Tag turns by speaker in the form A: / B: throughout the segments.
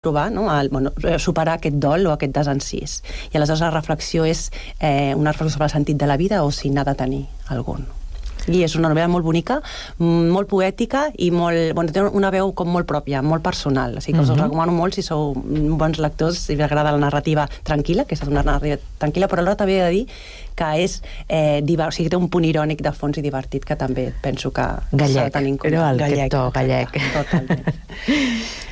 A: provar, no? Superar aquest dol o aquest desencís. I aleshores la reflexió és una reflexió sobre el sentit de la vida o si n'ha de tenir algun. I és una novel·la molt bonica, molt poètica i té una veu com molt pròpia, molt personal. O sigui que us recomano molt si sou bons lectors, si us agrada la narrativa tranquil·la, que és una narrativa tranquil·la, però alhora també he de dir que és o sigui, té un punt irònic de fons i divertit que també penso que s'ha de tenir en compte.
B: Gallec.
A: Totalment.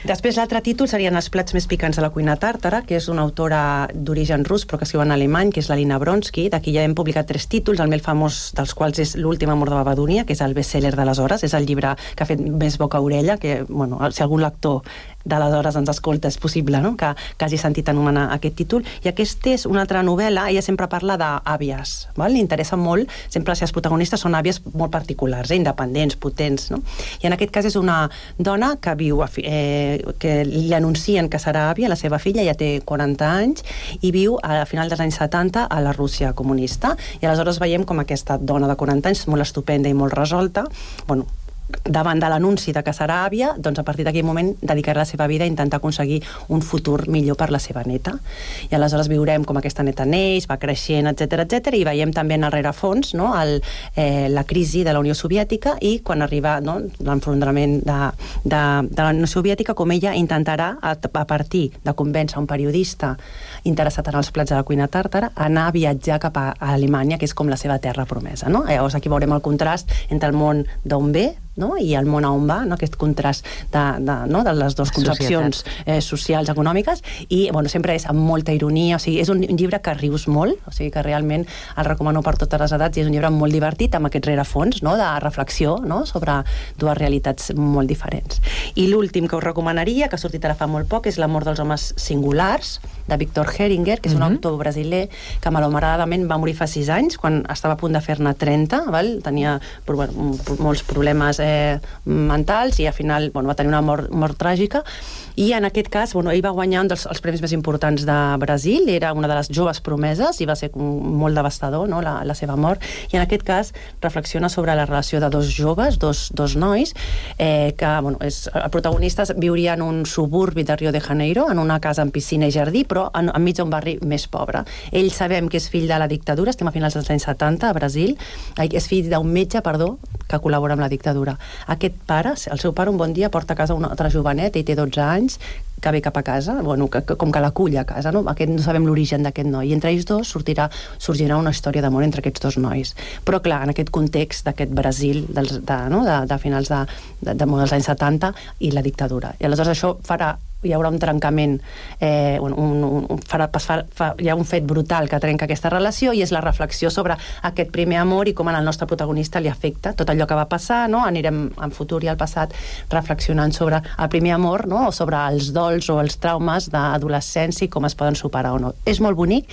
A: Després l'altre títol serien Els plats més picants de la cuina tàrtara, que és una autora d'origen rus però que escriu en alemany, que és la Lina Bronsky. D'aquí ja hem publicat 3 títols, el més famós dels quals és L'últim amor de Babadonia, que és el best-seller d'aleshores, és el llibre que ha fet més boca-orella, que, si algun lector d'aleshores ens escolta, és possible, no?, que hagi sentit anomenar aquest títol. I aquesta és una altra novel·la, ella sempre parla d'àvies, li interessa molt, sempre les seves protagonistes són àvies molt particulars, independents, potents, no? I en aquest cas és una dona que viu, que li anuncien que serà àvia, la seva filla ja té 40 anys, i viu a final dels anys 70 a la Rússia comunista, i aleshores veiem com aquesta dona de 40 anys, molt estupenda i molt resolta, davant de l'anunci de que serà àvia, doncs a partir d'aquell moment dedicarà la seva vida a intentar aconseguir un futur millor per la seva neta. I aleshores viurem com aquesta neta neix, va creixent, etc, i veiem també en el rerefons, no?, la crisi de la Unió Soviètica i quan arriba, no?, l'enfrontament de la Unió Soviètica, com ella intentarà, a partir de convèncer un periodista interessat en els plats de la cuina tàrtara, anar a viatjar cap a Alemanya, que és com la seva terra promesa, no? Llavors aquí veurem el contrast entre el món d'on ve, no?, i el món a on va, no?, aquest contrast de les dues concepcions socials, econòmiques, i sempre és amb molta ironia, o sigui, és un llibre que rius molt, o sigui que realment el recomano per totes les edats, i és un llibre molt divertit, amb aquest rerefons, no?, de reflexió, no?, sobre dues realitats molt diferents. I l'últim que us recomanaria, que ha sortit ara fa molt poc, és L'amor dels homes singulars, de Victor Heringer, que és un autor brasiler que malauradament va morir fa 6 anys, quan estava a punt de fer-ne 30, tenia molts problemes mentals i al final va tenir una mort tràgica, i en aquest cas ell va guanyar un dels premis més importants de Brasil, era una de les joves promeses i va ser molt devastador, no?, la seva mort, i en aquest cas reflexiona sobre la relació de dos joves, dos nois, que els protagonistes viurien en un suburbi de Rio de Janeiro, en una casa amb piscina i jardí, però enmig d'un barri més pobre. Ell sabem que és fill de la dictadura, estem a finals dels anys 70 a Brasil, és fill d'un metge, que col·labora amb la dictadura. Aquest pare, el seu pare, un bon dia porta a casa una altra joveneta i té 12 anys, que ve cap a casa, com que l'acull a casa, no? No sabem l'origen d'aquest noi, i entre ells dos sorgirà una història d'amor entre aquests dos nois. Però clar, en aquest context d'aquest Brasil de finals dels anys 70 i la dictadura. I aleshores això hi haurà un trencament, hi ha un fet brutal que trenca aquesta relació, i és la reflexió sobre aquest primer amor i com al nostre protagonista li afecta tot allò que va passar, no? Anirem en futur i al passat reflexionant sobre el primer amor, no?, o sobre els dols o els traumes d'adolescència i com es poden superar o no. És molt bonic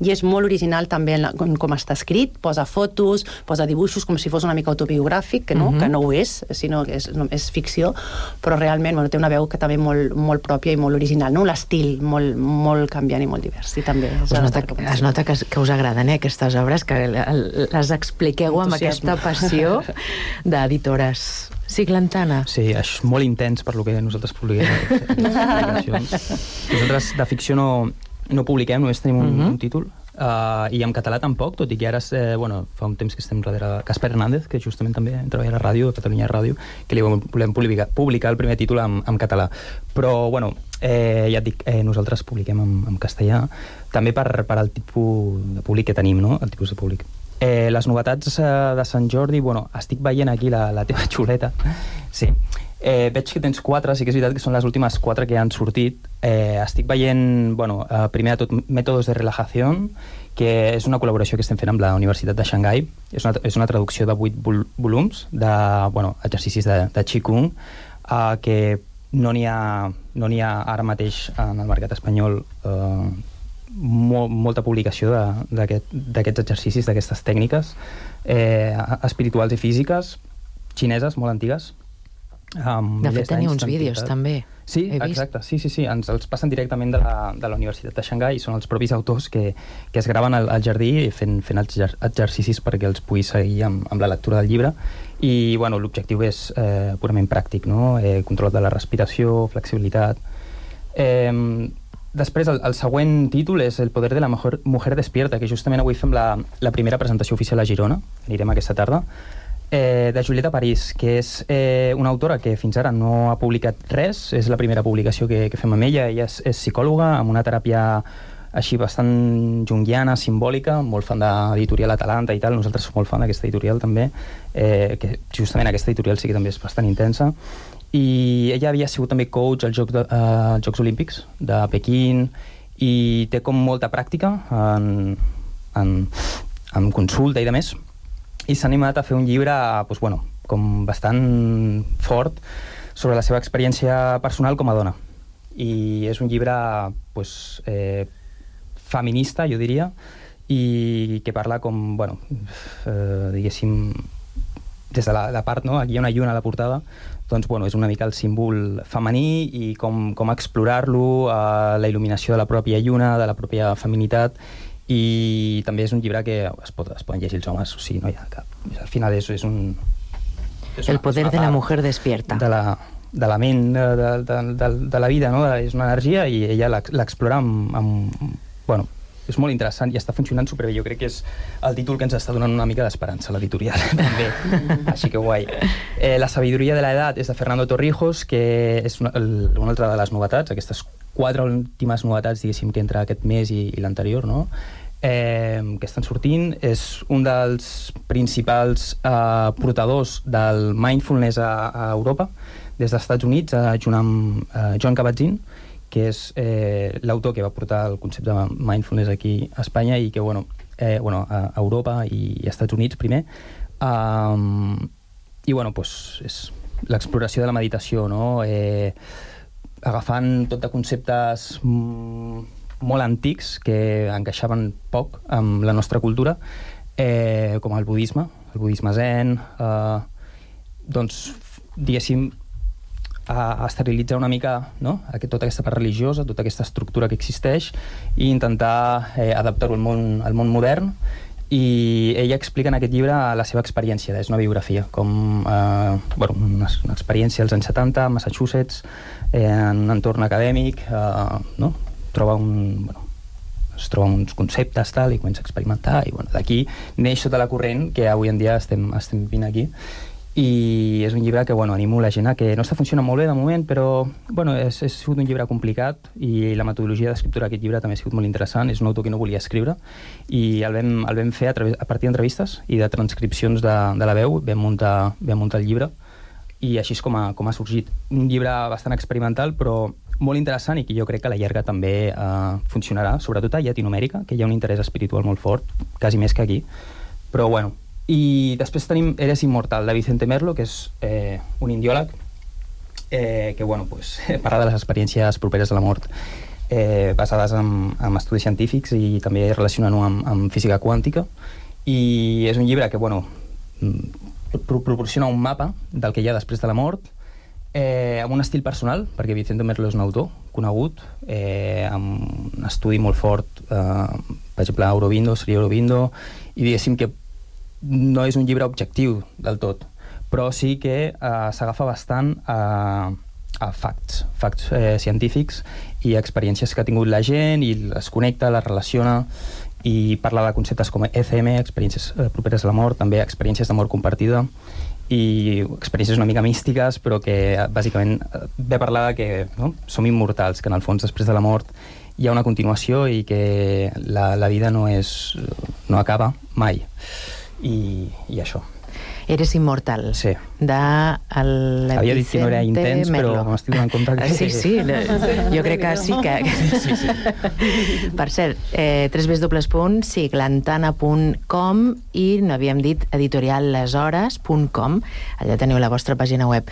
A: i és molt original també com està escrit, posa fotos, posa dibuixos com si fos una mica autobiogràfic, que no ho és, sinó que és ficció, però realment té una veu que també molt pròpia i molt original, no? L'estil molt canviant i molt divers, i també
B: es nota que us agraden aquestes obres, que les expliqueu amb aquesta passió d'editores. Sí, Glantana.
C: Sí, és molt intens per lo que nosaltres publiquem. Nosaltres de ficció no publiquem, només tenim un títol, i en català tampoc, tot i que ara fa un temps que estem darrere Casper Hernández, que justament també treballa a la ràdio, a Catalunya Ràdio, que li volem publicar el primer títol en català. Però, ja et dic, nosaltres publiquem en castellà, també per al tipus de públic que tenim, no?, el tipus de públic. Les novetats de Sant Jordi, estic veient aquí la teva xuleta. Sí. Veig que tens 4, sí que és veritat que són les últimes 4 que han sortit. Estic veient, primer de tot, Mètodes de relajació, que és una col·laboració que estem fent amb la Universitat de Xangai. És una traducció de 8 volums d'exercicis de Qigong, que no n'hi ha ara mateix en el mercat espanyol molta publicació d'aquests exercicis, d'aquestes tècniques espirituals i físiques xineses molt antigues.
B: De fet, teniu uns vídeos també.
C: Sí, exacte, sí, ens els passen directament de la Universitat de Xangai, i són els propis autors que es graven al jardí fent els exercicis perquè els puguis seguir amb la lectura del llibre. I l'objectiu és purament pràctic, no? Control de la respiració, flexibilitat, Després, el següent títol és El poder de la mujer despierta, que justament avui fem la primera presentació oficial a Girona, anirem aquesta tarda, de Julieta París, que és una autora que fins ara no ha publicat res, és la primera publicació que fem amb ella. Ella és psicòloga, amb una teràpia així bastant junguiana, simbòlica, molt fan d'editorial Atalanta i tal. Nosaltres som molt fan d'aquesta editorial també, que justament aquesta editorial sí que també és bastant intensa. I ella havia sigut també coach als Jocs Olímpics de Pequín i té com molta pràctica en consulta i de més, i s'ha animat a fer un llibre doncs, bueno, com bastant fort sobre la seva experiència personal com a dona. I és un llibre doncs, feminista, jo diria, i que parla com, bueno, diguéssim, des de la part, no? Aquí hi ha una lluna a la portada, doncs, bueno, és una mica el símbol femení i com explorar-lo, la il·luminació de la pròpia lluna, de la pròpia feminitat, i també és un llibre que es poden llegir els homes, o sigui, no hi ha cap... Al final és un...
B: El poder de la mujer despierta.
C: De la ment, de la vida, no? És una energia i ella l'explora bueno, és molt interessant i està funcionant superbé. Jo crec que és el títol que ens està donant una mica d'esperança a l'editorial, també. Així que guai. La sabiduria de l'edat és de Fernando Torrijos, que és una altra de les novetats, aquestes 4 últimes novetats, diguéssim, que entre aquest mes i l'anterior, no? Que estan sortint. És un dels principals portadors del mindfulness a Europa, des dels Estats Units, junt amb Joan Kabat-Zinn, que és l'autor que va portar el concepte de mindfulness aquí a Espanya i que, a Europa i als Estats Units primer. I, és l'exploració de la meditació, no? Agafant tot de conceptes molt antics que encaixaven poc amb la nostra cultura, com el budisme zen, doncs, diguéssim, a esterilitzar una mica, no? Tota aquesta part religiosa, tota aquesta estructura que existeix, i intentar adaptar-ho al món modern. I ella explica en aquest llibre la seva experiència, és una biografia, com una experiència als anys 70 a Massachusetts, en un entorn acadèmic, no? Es troba uns conceptes tal, i comença a experimentar, i d'aquí neix tota la corrent que avui en dia estem vivint aquí. I és un llibre que animo la gent a que no està funcionant molt bé de moment, però ha sigut un llibre complicat i la metodologia d'escriptura d'aquest llibre també ha sigut molt interessant. És un autor que no volia escriure i el vam fer a partir d'entrevistes i de transcripcions de la veu. Vam muntar el llibre i així és com ha sorgit. Un llibre bastant experimental però molt interessant i que jo crec que a la llarga també funcionarà, sobretot a Llatinoamèrica, que hi ha un interès espiritual molt fort, quasi més que aquí. Però i després tenim Eres inmortal, de Vicente Merlo, que és un indiòleg que parla de les experiències properes a la mort, basades en estudis científics i també relacionant-ho amb física quàntica. I és un llibre que proporciona un mapa del que hi ha després de la mort, amb un estil personal, perquè Vicente Merlo és un autor conegut, amb un estudi molt fort, per exemple, seria Aurobindo, i diguéssim que no és un llibre objectiu del tot, però sí que s'agafa bastant a facts científics i experiències que ha tingut la gent i les connecta, les relaciona i parla de conceptes com ECM, experiències properes a la mort, també experiències de mort compartida i experiències una mica místiques, però que bàsicament ve a parlar que som immortals, que en el fons després de la mort hi ha una continuació i que la vida no acaba mai. I això.
B: Eres inmortal.
C: Sí. Havia dit que no era intens, però m'estic donant compte que...
B: Sí, jo crec que sí que... Sí. Per cert, www.siglantana.com i n'havíem dit editorialleshores.com, allà teniu la vostra pàgina web.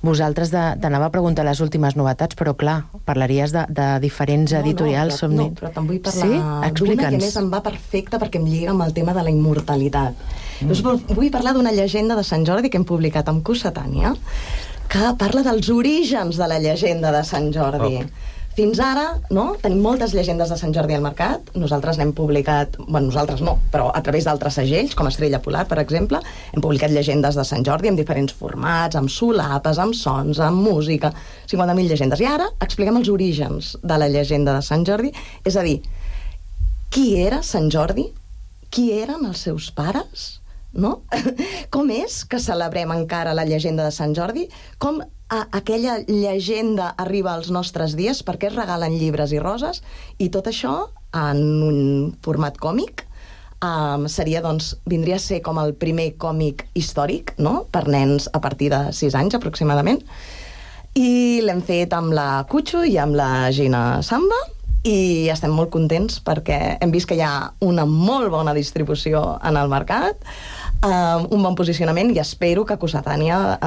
B: Vosaltres t'anava a preguntar les últimes novetats, però clar, parlaries de diferents editorials.
D: No, però te'n vull parlar d'una que més em va perfecta perquè em lliga amb el tema de la immortalitat. Vull parlar d'una llegenda de Sant Jordi que hem publicat amb Cossetània, que parla dels orígens de la llegenda de Sant Jordi. fins ara, no?, tenim moltes llegendes de Sant Jordi al mercat. Nosaltres n'hem publicat, bueno, nosaltres no, però a través d'altres segells, com Estrella Polar, per exemple, hem publicat llegendes de Sant Jordi en diferents formats, amb solapes, amb sons, amb música, 50.000 llegendes. I ara expliquem els orígens de la llegenda de Sant Jordi, és a dir, qui era Sant Jordi? Qui eren els seus pares? No? Com és que celebrem encara la llegenda de Sant Jordi? Com aquella llegenda arriba als nostres dies? Per què es regalen llibres i roses? I tot això en un format còmic seria, doncs, vindria a ser com el primer còmic històric, no?, per nens a partir de 6 anys aproximadament, i l'hem fet amb la Cucho i amb la Gina Samba, i estem molt contents perquè hem vist que hi ha una molt bona distribució en el mercat, un bon posicionament, i espero que Cossetània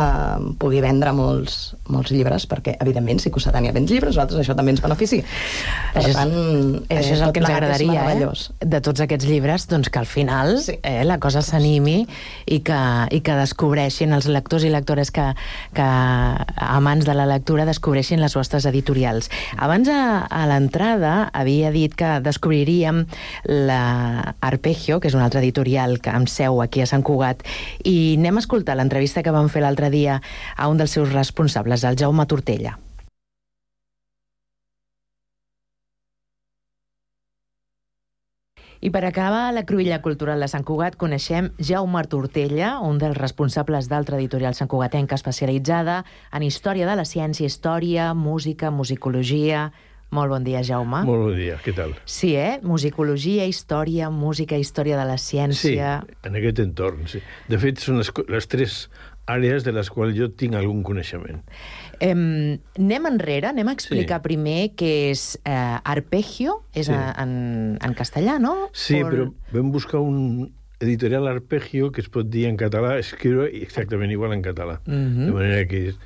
D: pugui vendre molts llibres, perquè, evidentment, si Cossetània vens llibres, nosaltres això també ens benefici. Per tant,
B: això és el que ens agradaria, de tots aquests llibres, doncs que al final la cosa s'animi i que descobreixin els lectors i lectores que amants de la lectura descobreixin les vostres editorials. Abans, a l'entrada, havia dit que descobriríem la Arpeggio, que és una altra editorial que amb seu aquí a Sant Cugat, i anem a escoltar l'entrevista que vam fer l'altre dia a un dels seus responsables, el Jaume Tortella. I per acabar la cruïlla cultural de Sant Cugat coneixem Jaume Tortella, un dels responsables d'altra editorial santcugatenca especialitzada en història de la ciència, història, música, musicologia. Molt bon dia, Jaume.
E: Molt bon dia, què tal?
B: Sí, Musicologia, història, música, història de la ciència...
E: Sí, en aquest entorn, sí. De fet, són les 3 àrees de les quals jo tinc algun coneixement.
B: Anem enrere, anem a explicar primer què és Arpeggio, és en castellà, no?
E: Sí, però vam buscar un editorial Arpeggio que es pot dir en català, escriure exactament igual en català. De manera que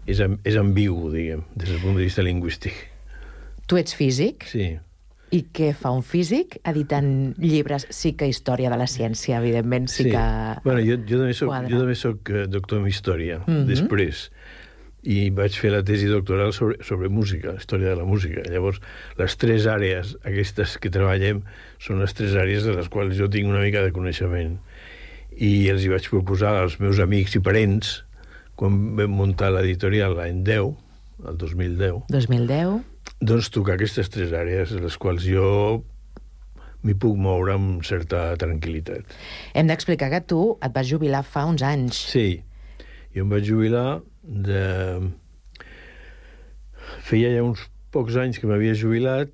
E: és ambigu, diguem, des del punt de vista lingüístic.
B: Tu ets físic?
E: Sí.
B: I què fa un físic editant llibres? Sí que història de la ciència, evidentment, sí que...
E: Bueno, jo també soc doctor en història, després, i vaig fer la tesi doctoral sobre música, història de la música. Llavors, les 3 àrees aquestes que treballem són les 3 àrees de les quals jo tinc una mica de coneixement. I els hi vaig proposar als meus amics i parents, quan vam muntar l'editorial l'any 10, el 2010.
B: 2010...
E: Doncs tocar aquestes 3 àrees, les quals jo m'hi puc moure amb certa tranquil·litat.
B: Hem d'explicar que tu et vas jubilar fa uns anys.
E: Sí, jo em vaig jubilar Feia ja uns pocs anys que m'havia jubilat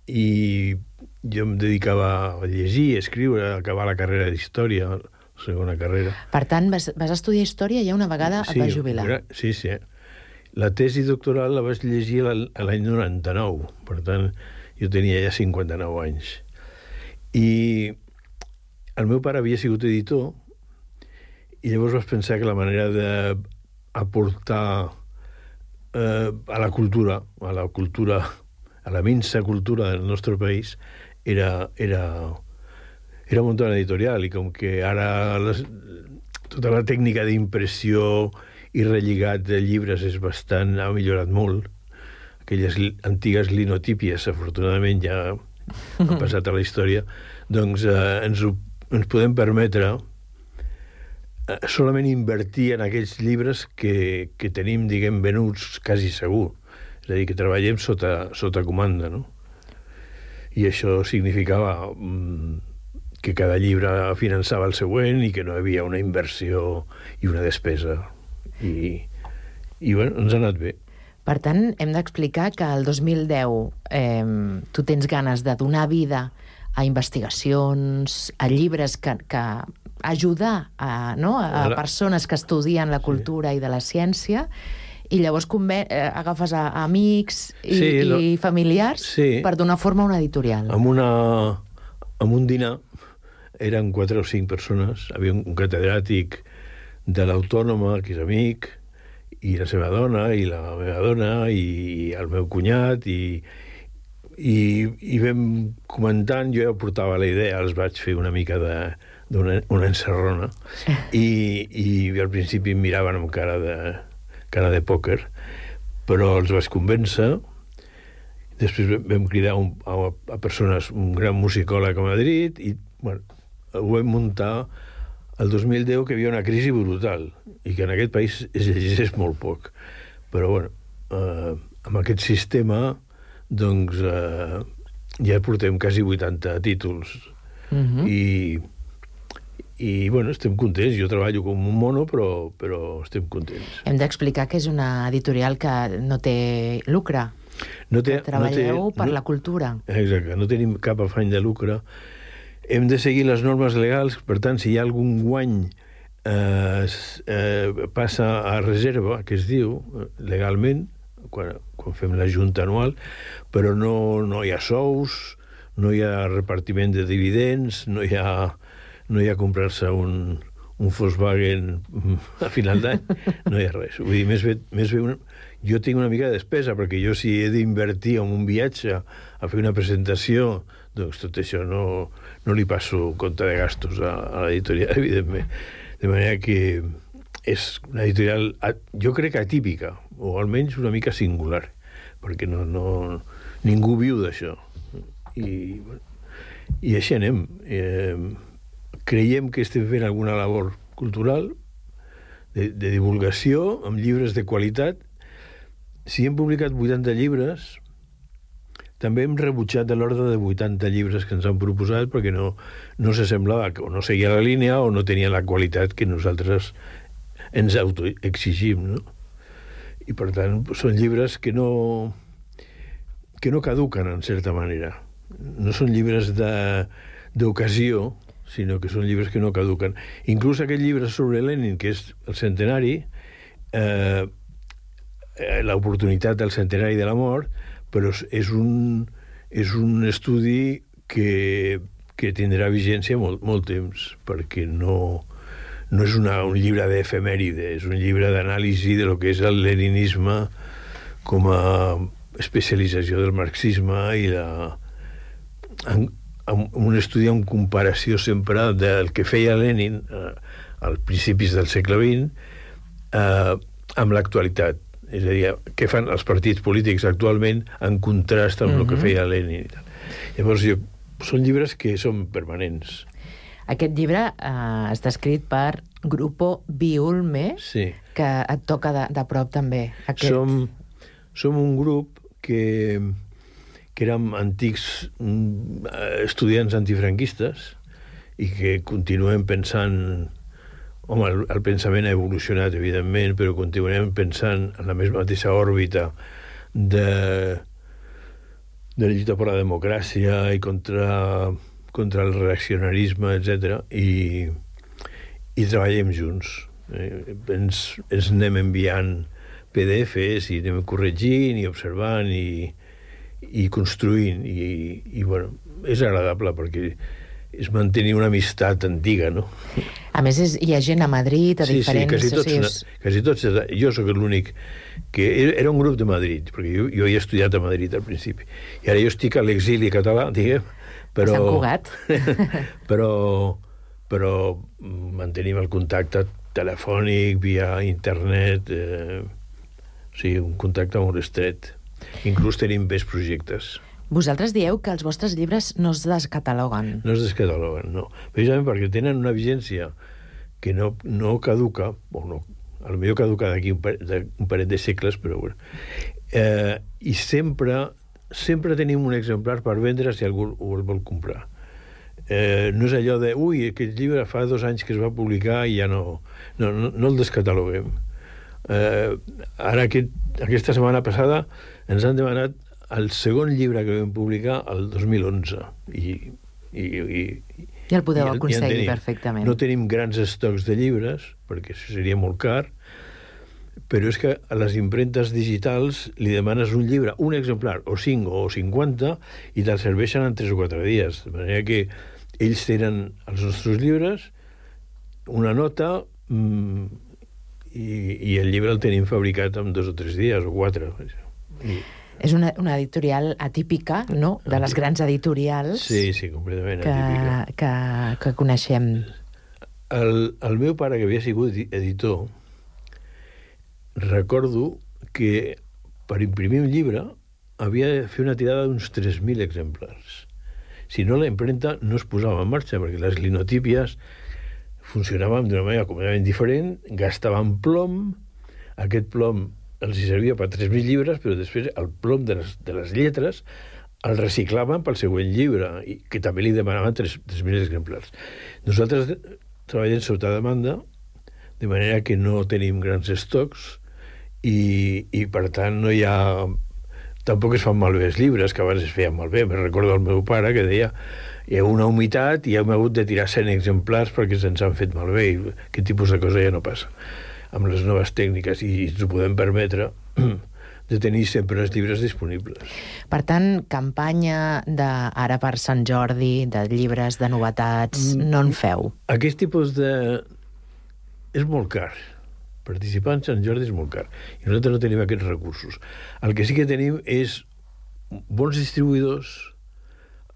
E: i jo em dedicava a llegir, a escriure, a acabar la carrera d'història, la segona carrera.
B: Per tant, vas estudiar història i ja una vegada et vas jubilar.
E: Sí. La tesi doctoral la vaig llegir l'any 99, per tant, jo tenia ja 59 anys. I el meu pare havia sigut editor i llavors vaig pensar que la manera d'aportar a la cultura, a la minsa cultura del nostre país, era muntar una editorial, i com que ara tota la tècnica d'impressió i relligat de llibres ha millorat molt. Aquelles antigues linotípies, afortunadament, ja han passat a la història. Doncs ens podem permetre solament invertir en aquells llibres que tenim, diguem, venuts quasi segur. És a dir, que treballem sota comanda, no? I això significava que cada llibre finançava el següent i que no hi havia una inversió i una despesa. I bueno, ens ha anat bé.
B: Per tant, hem d'explicar que el 2010 tu tens ganes de donar vida a investigacions, a llibres que ajudar a persones que estudien la cultura i de la ciència, i llavors agafes a amics i familiars per donar forma a una editorial.
E: Amb un dinar eren 4 o 5 persones, havia un catedràtic de l'Autònoma, que és amic, i la seva dona, i la meva dona, i el meu cunyat, i vam comentant, jo ja portava la idea, els vaig fer una mica d'una encerrona, i al principi em miraven amb cara de pòquer, però els vaig convèncer. Després vam cridar a persones, un gran musicòleg a Madrid, i bueno, ho vam muntar el 2010, que hi havia una crisi brutal i que en aquest país es llegeix molt poc. Però bueno, amb aquest sistema doncs ja portem quasi 80 títols. I bueno, estem contents. Jo treballo com un mono, però estem contents.
B: Hem d'explicar que és una editorial que no té lucre. Treballeu per la cultura.
E: Exacte, no tenim cap afany de lucre. Hem de seguir les normes legals, per tant, si hi ha algun guany passa a reserva, que es diu, legalment, quan fem la junta anual, però no hi ha sous, no hi ha repartiment de dividends, no hi ha comprar-se un Volkswagen a final d'any, no hi ha res. Vull dir, més bé jo tinc una mica de despesa, perquè jo si he d'invertir en un viatge a fer una presentació, doncs tot això no li passo compte de gastos a l'editorial, evidentment. De manera que és una editorial, jo crec que atípica, o almenys una mica singular, perquè ningú viu d'això. I així anem. Creiem que estem fent alguna labor cultural, de divulgació, amb llibres de qualitat. Si hem publicat 80 llibres, també hem rebutjat de l'ordre de 80 llibres que ens han proposat perquè no s'assemblava, o no seguia la línia o no tenia la qualitat que nosaltres ens autoexigim, no? I per tant són llibres que no caduquen, en certa manera. No són llibres d'ocasió, sinó que són llibres que no caduquen. Inclús aquest llibre sobre Lenin, que és el centenari, l'oportunitat del centenari de la mort, però és un estudi que tindrà vigència molt temps, perquè no és un llibre d'efemèride, és un llibre d'anàlisi de lo que és el leninisme com a especialització del marxisme i un estudi en comparació sempre del que feia Lenin als principis del segle XX amb l'actualitat. És a dir, què fan els partits polítics actualment en contrast amb el que feia Lenin. Llavors, són llibres que són permanents.
B: Aquest llibre està escrit per Grupo Biulme,
E: sí,
B: que et toca de prop també.
E: Som un grup que érem antics estudiants antifranquistes i que continuem pensant. Home, el pensament ha evolucionat, evidentment, però continuem pensant en la mateixa òrbita de la lluita per la democràcia i contra el reaccionarisme, etc. I treballem junts. Ens anem enviant PDFs i anem corregint i observant i construint. I bueno, és agradable perquè és mantenir una amistat antiga, no?
B: A més, hi ha gent a Madrid, a diferents...
E: Sí, quasi tots. Jo sóc l'únic que... Era un grup de Madrid, perquè jo he estudiat a Madrid al principi. I ara jo estic a l'exili català, diguem, però...
B: Sant Cugat.
E: però mantenim el contacte telefònic, via internet, un contacte molt estret. Inclús tenim més projectes.
B: Vosaltres dieu que els vostres llibres no es descataloguen.
E: No es descataloguen, no. Precisament perquè tenen una vigència que no caduca, o no, potser caduca d'aquí un parell de segles, però bueno. I sempre tenim un exemplar per vendre si algú el vol comprar. No és allò de, aquest llibre fa 2 anys que es va publicar i ja no el descataloguem. Ara, aquesta setmana passada, ens han demanat el segon llibre que vam publicar el 2011 i
B: el podeu aconseguir perfectament.
E: No tenim grans estocs de llibres perquè això seria molt car, però és que a les impremtes digitals li demanes un llibre, un exemplar, o 5 o 50, i te'l serveixen en 3 o 4 dies, de manera que ells tenen els nostres llibres, una nota, i el llibre el tenim fabricat en 2 o 3 dies o 4.
B: És una editorial atípica, no?, de les grans editorials.
E: Sí, completament atípica.
B: Que coneixem.
E: El meu pare, que havia sigut editor, recordo que per imprimir un llibre havia de fer una tirada d'uns 3.000 exemplars. Si no, la impremta no es posava en marxa, perquè les linotípies funcionaven d'una manera completament diferent, gastaven plom, aquest plom els servia per 3.000 llibres, però després el plom de les lletres el reciclaven pel següent llibre, i que també li demanaven 3.000 exemplars. Nosaltres treballem sota demanda, de manera que no tenim grans estocs, i per tant no hi ha... Tampoc es fan malbé els llibres, que abans es feien malbé. Me recordo el meu pare que deia hi ha una humitat i hem hagut de tirar 100 exemplars perquè se'ns han fet malbé, i aquest tipus de cosa ja no passa amb les noves tècniques, i ens ho podem permetre de tenir sempre els llibres disponibles.
B: Per tant, campanya ara per Sant Jordi, de llibres, de novetats, no en feu?
E: Aquest tipus de... és molt car. Participar en Sant Jordi és molt car. I nosaltres no tenim aquests recursos. El que sí que tenim és bons distribuïdors,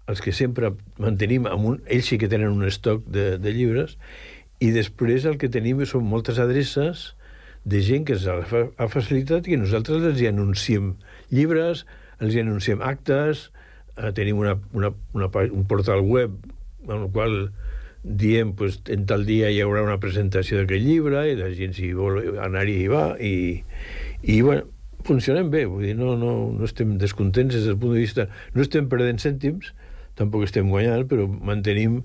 E: els que sempre mantenim, ells sí que tenen un estoc de llibres, i després el que tenim són moltes adreces de gent que ens ha facilitat i que nosaltres els hi anunciem llibres, els hi anunciem actes, tenim un portal web en el qual diem, pues, en tal dia hi haurà una presentació d'aquest llibre i la gent, si vol anar-hi, hi va, i bueno, funcionem bé, vull dir, no estem descontents des del punt de vista, no estem perdent cèntims, tampoc estem guanyant, però mantenim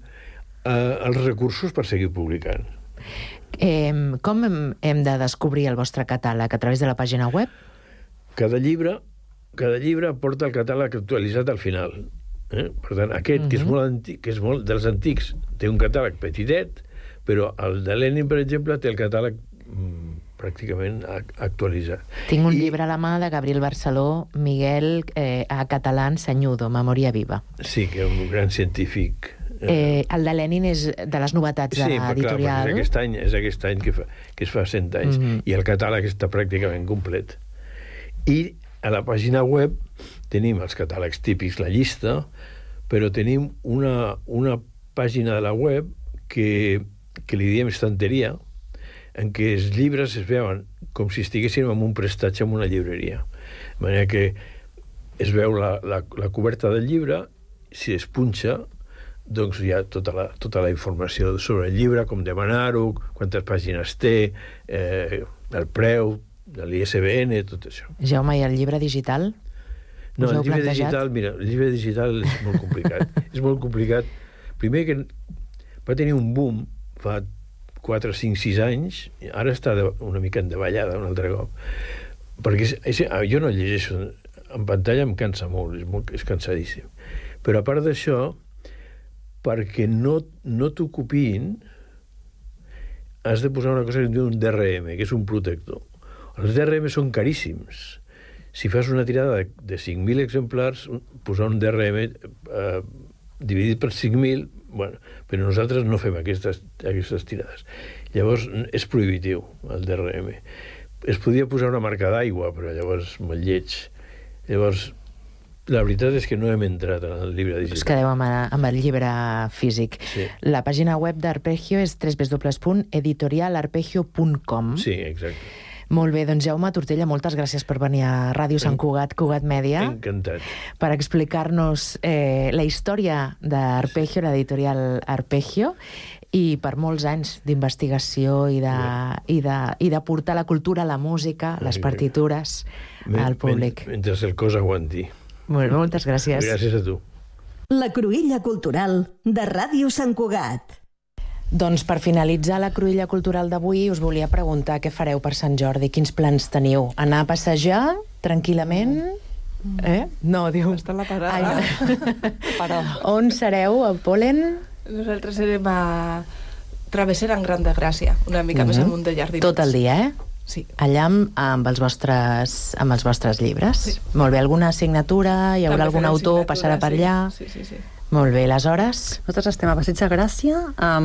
E: els recursos per seguir publicant.
B: Com hem de descobrir el vostre catàleg? A través de la pàgina web?
E: Cada llibre porta el catàleg actualitzat al final. Per tant, aquest, que és molt antic, que és molt dels antics, té un catàleg petitet, però el de Lenin, per exemple, té el catàleg pràcticament actualitzat.
B: Tinc un llibre a la mà de Gabriel Barceló, Miguel a català Sañudo, Memòria viva.
E: Sí, que és un gran científic.
B: El de Lenin és de les novetats de l'editorial.
E: Sí, clar, és aquest any que es fa 100 anys, i el catàleg està pràcticament complet. I a la pàgina web tenim els catàlegs típics, la llista, però tenim una pàgina de la web que li diem estanteria, en què els llibres es veuen com si estiguéssim en un prestatge en una llibreria. De manera que es veu la coberta del llibre, si es punxa, doncs hi ha tota la informació sobre el llibre, com demanar-ho, quantes pàgines té, el preu, l'ISBN, tot això.
B: Jaume, i el llibre digital?
E: No, el llibre digital, mira, el llibre digital és molt complicat. És molt complicat. Primer que va tenir un boom fa 4, 5, 6 anys, ara està una mica en davallada un altre cop. Perquè jo no llegeixo, en pantalla em cansa molt, és cansadíssim. Però a part d'això, perquè no t'ho copiïn, has de posar una cosa que es diu un DRM, que és un protector. Els DRM són caríssims. Si fas una tirada de 5.000 exemplars, posar un DRM dividit per 5.000, bueno, però nosaltres no fem aquestes tirades. Llavors és prohibitiu, el DRM. Es podia posar una marca d'aigua, però llavors me'l lleig. Llavors, la veritat és que no hem entrat en el llibre digital.
B: Us quedeu amb el llibre físic.
E: Sí.
B: La pàgina web d'Arpeggio és www.editorialarpeggio.com.
E: Sí, exacte.
B: Molt bé, doncs Jaume Tortella, moltes gràcies per venir a Ràdio Sant Cugat, Cugat Mèdia.
E: Encantat. Per
B: explicar-nos la història d'Arpeggio, l'editorial Arpeggio, i per molts anys d'investigació i de portar la cultura, la música, les partitures al públic.
E: Mentre el cos aguanti.
B: Molt bé, moltes gràcies.
E: Gràcies a tu.
F: La cruïlla cultural de Ràdio Sant Cugat.
B: Doncs per finalitzar la cruïlla cultural d'avui us volia preguntar què fareu per Sant Jordi, quins plans teniu? Anar a passejar tranquil·lament? No, diu...
G: Està la parada.
B: Però... On sereu, a Polen?
G: Nosaltres serem a Travessera en Gran de Gràcia, una mica més amunt de Jardins.
B: Tot el dia,
G: Sí.
B: Allà amb els vostres llibres?
G: Sí.
B: Molt bé, alguna assignatura? Hi haurà algun autor? Passarà per allà?
G: Sí.
B: Molt bé, les hores?
A: Nosaltres estem a Passeig de Gràcia, a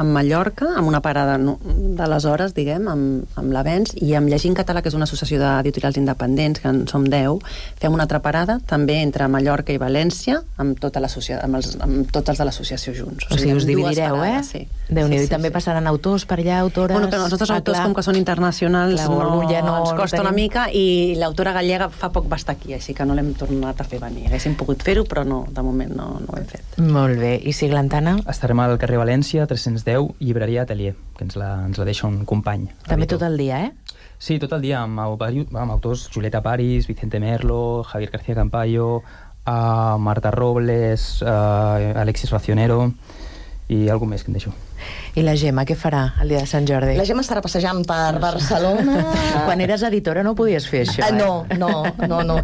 A: Mallorca, amb una parada de les hores, diguem, amb l'Avenç, i amb Llegint Català, que és una associació d'editorials independents, que en som 10, fem una altra parada, també entre Mallorca i València, amb tots els de l'associació junts.
B: O sigui, us dividireu,
A: Sí.
B: Déu-n'hi-do, i també passaran autors per allà, autores...
A: Bueno, que els nostres autors, com que són internacionals, ens costa una mica, i l'autora gallega fa poc va estar aquí, així que no l'hem tornat a fer venir. Haguéssim pogut fer-ho, però no, de moment no ho hem fet.
B: Molt bé. I Siglantana?
C: Estarem al carrer València, 310, llibreria Atelier, que ens la deixa un company.
B: També tot el dia,
C: Sí, tot el dia, amb autors Julieta Paris, Vicente Merlo, Javier García Campayo, Marta Robles, Alexis Racionero i algú més que em deixo.
B: I la Gemma, què farà el dia de Sant Jordi?
D: La Gemma estarà passejant per Barcelona.
B: Quan eres editora no podies fer això,
D: No,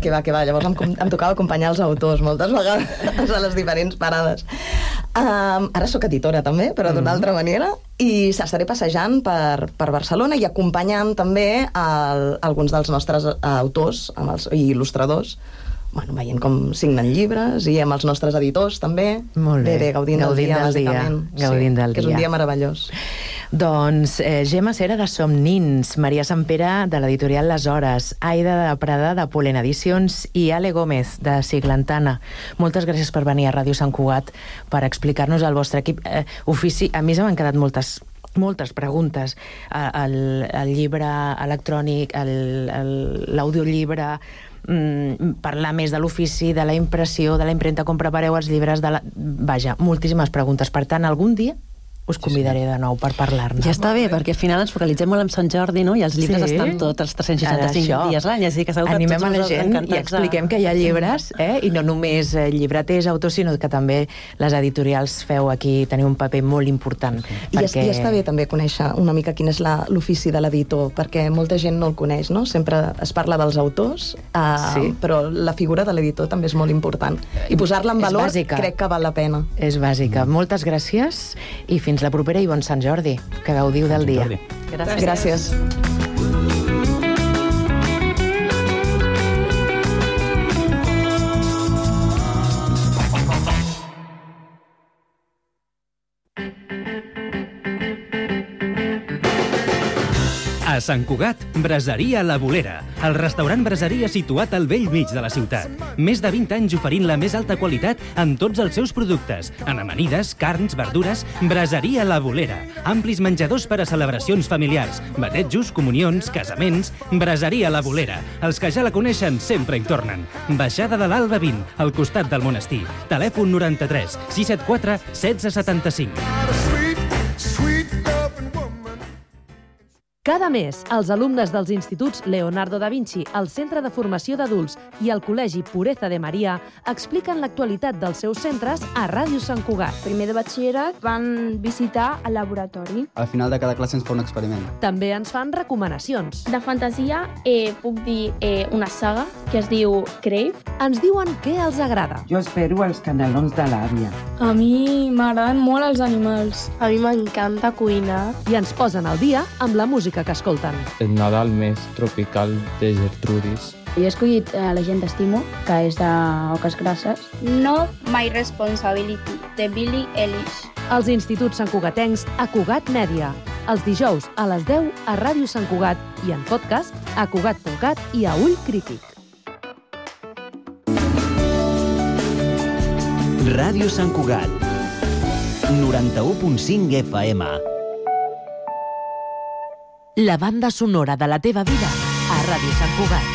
D: que va. Llavors em tocava acompanyar els autors moltes vegades a les diferents parades. Ara sóc editora també, però d'una altra manera, i estaré passejant per Barcelona i acompanyant també alguns dels nostres autors i il·lustradors, veient com signen llibres, i amb els nostres editors també.
B: Molt bé,
D: gaudint del dia, bàsicament.
B: Gaudint del dia.
D: Que és un dia meravellós.
B: Doncs Gemma Cera de Somnins, Maria Sampere de l'editorial Les Hores, Aida de Prada de Pollen Edicions i Ale Gómez de Siglantana. Moltes gràcies per venir a Ràdio Sant Cugat per explicar-nos el vostre equip. Ofici, a mi se m'han quedat moltes preguntes. El llibre electrònic, l'audiollibre, parlar més de l'ofici, de la impressió, de la impremta, com prepareu els llibres, vaja, moltíssimes preguntes. Per tant, algun dia us convidaré de nou per parlar-ne.
A: Ja està bé, perquè al final ens focalitzem molt en Sant Jordi, no? I els llibres estan tots els 365 dies l'any, així que segur que
B: animem
A: tots
B: a la gent
A: encantats
B: i expliquem que hi ha llibres, i no només llibreters, autors, sinó que també les editorials teniu un paper molt important.
D: I està bé també conèixer una mica quin és l'ofici de l'editor, perquè molta gent no el coneix, no? Sempre es parla dels autors, però la figura de l'editor també és molt important. I posar-la en valor crec que val la pena.
B: És bàsica. Moltes gràcies i fins la propera i bon Sant Jordi. Que gaudiu del dia.
D: Gràcies.
H: A Sant Cugat, Braseria La Bolera, el restaurant braseria situat al bell mig de la ciutat. Més de 20 anys oferint la més alta qualitat en tots els seus productes. En amanides, carns, verdures, Braseria La Bolera. Amplis menjadors per a celebracions familiars, batejos, comunions, casaments. Braseria La Bolera. Els que ja la coneixen sempre hi tornen. Baixada de l'Alba 20, al costat del monestir. Telèfon 93 674 1675.
I: Cada mes, els alumnes dels instituts Leonardo da Vinci, el Centre de Formació d'Adults i el Col·legi Pureza de Maria expliquen l'actualitat dels seus centres a Ràdio Sant Cugat.
J: Primer de batxillerat van visitar el laboratori.
K: Al final de cada classe ens fa un experiment.
I: També ens fan recomanacions.
J: De fantasia puc dir una saga que es diu Crave.
I: Ens diuen què els agrada.
L: Jo espero els canelons de l'àvia.
M: A mi m'agraden molt els animals.
J: A mi m'encanta cuinar.
I: I ens posen al dia amb la música que escolten.
N: El Nadal més tropical de Gertrudis.
O: Jo he escollit La gent t'estimo, que és d'Oques Grasses.
P: No My Responsibility, de Billie Eilish.
I: Els instituts santcugatencs a Cugat Mèdia. Els dijous a les 10 a Ràdio Sant Cugat i en podcast a Cugat.cat i a Ull Crític.
Q: Ràdio Sant Cugat 91.5 FM.
I: La banda sonora de la teva vida a Ràdio Sant Cugat.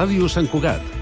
Q: Ràdio Sant Cugat.